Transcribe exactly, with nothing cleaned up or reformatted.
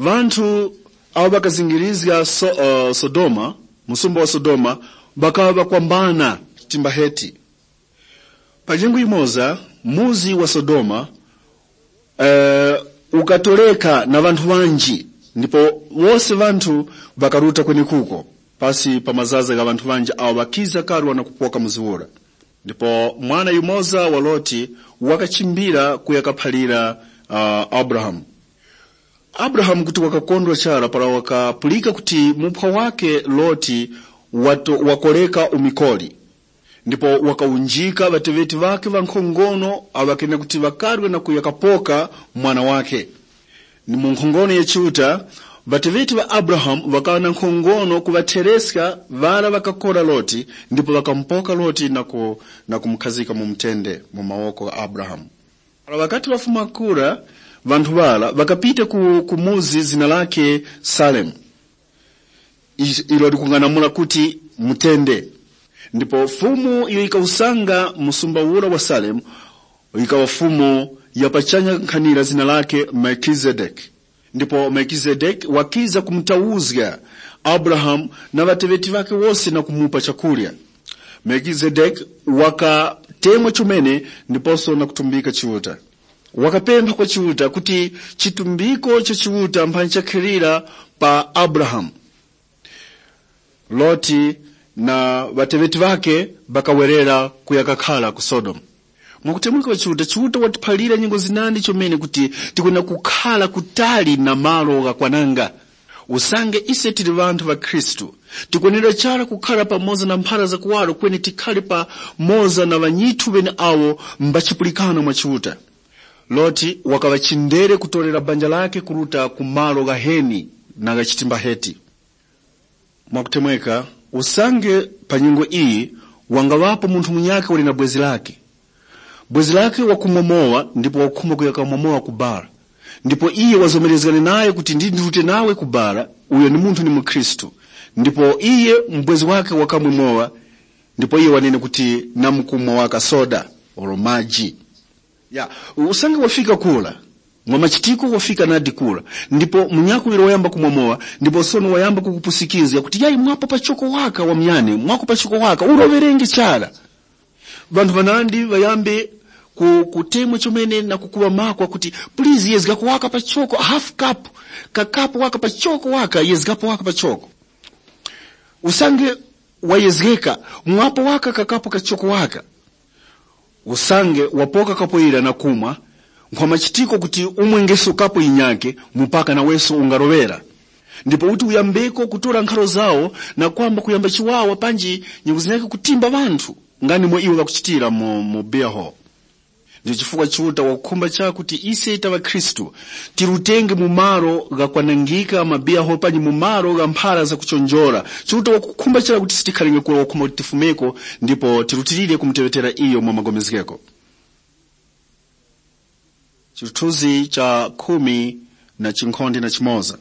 Ŵanthu awo ŵakazingirizga so, uh, Sodoma, msumba wa Sodoma, ŵakaŵa ŵakwambana chitimba heti. Pa nyengo yimoza, muzi wa Sodoma, uh, ukatoreka na ŵanthu ŵanji, ndipo wose ŵanthu ŵakaruta kwenekuko, pasi pa mazaza gha ŵanthu ŵanji awo ŵakiza karwa na kupoka muzi ura. Ndipo mwana yumoza wa Loti wakachimbira kuya kaphalira uh, Abrahamu. Abrahamu kuti wakakondwa chara para wakapulika kuti muphwa wake Loti wato- wakoreka umikoli, ndipo wakawunjika ŵateŵeti ŵakhe ŵankhongono awo ŵakene kuti ŵakarwe na kuya kapoka mwana wakhe. Ni mu nkhongono ya Chiuta, ŵateŵeti ŵa Abrahamu ŵakaŵa na nkhongono kuŵathereska ŵara ŵakakora Loti, ndipo ŵakamupoka Loti na, ku, na kumukhazika mu mutende mu mawoko gha Abrahamu. Para ŵakati ŵafuma kura, ŵanthu ŵara ŵakapita ku, ku muzi zina lakhe Salemu, is- ilo likung'anamula kuti mutende. Ndipo Fumu iyo yikawusanga msumba ura wa Salemu, yikaŵa Fumu ya pachanya nkhanira zina lakhe Melkizedeki. Ndipo Melkizedeki wakiza kumutauzga Abrahamu na ŵateŵeti ŵakhe wose na kumupa chakurya. Melkizedeki wakatemwa chomene ndiposo na kutumbika Chiuta. Wakapempha kwa Chiuta kuti chitumbiko cha Chiuta mphanyi chakhilira pa Abrahamu, Loti na ŵateŵeti ŵakhe ŵakawerera kuya kakhara ku Sodomu. Mwakutemweka kwa Chiuta, Chiuta watiphalira nyengo zinandi chomene kuti tikwenda kukhara kutali na malo ghakwananga. Usange ise tili ŵanthu ŵa Khristu, tikwenera chara kukhara pamoza na mphara za kuwaro kweni tikhare pamoza na ŵanyithu ŵeneawo mba chipulikano mwa Chiuta. Loti wakaŵa chindere kutorera banja lakhe kuruta ku malo ghaheni na gha chitimba heti. Mwakutemweka, usange pa nyengo iyi wangaŵapo munthu munyakhe wali na bwezi lakhe. Bwezi lakhe wakumomowa ndipo wakukhumba kuya kamomowa ku bara. Ndipo iye wazomerezgane naye kuti ndi ndirute nawe ku bara, uyo ndi munthu ni mukhristu. Ndipo iye mubwezi wakhe wakamwe mowa, ndipo iye wanene kuti namkumwa waka soda oro maji. Ya, usange wafika kura, mwa machitiko wafika nadi kura, ndipo munyakuŵiro wayamba kumwa mowa, ndipo sono wayamba kukupusikizga kuti yayi mwapo pachoko waka wamyane, mwako pachoko waka, uroŵerenge chara. Ŵanthu ŵanandi ŵayambe ku- kutemwa chomene na kukuŵa makwa kuti, please yezgako waka pachoko, half cup, kakapu waka pachoko waka, yezgapo waka pachoko. Usange wayezgeka, mwapo waka kakapu kachoko waka. Usange wapoka kapo ira na kumwa, nkhwa machitiko kuti umwengeso kapo yinyakhe mupaka naweso ungaroŵera. Ndipo uti uyambeko kutora nkharo zawo na kwamba kuyamba chiwawa panji nyengo zinyakhe kutimba ŵanthu, nga nimo iwo ŵakuchitira mu, mu beer hall. Ndicho chifukwa Chiuta wakukhumba chara kuti ise ta ŵakhristu tirutenge mu malo ghakwanangika mabiyaho panyi mu malo gha mphara zakuchonjora. Chiuta wakukhumba chara kuti sitikhalenge kura wakukhumba kuti tifumeko ndipo tirutilire kumuteŵetera iyo mwa magomezgeko. Chithunzi cha khumi na chinkhonde na chimoza.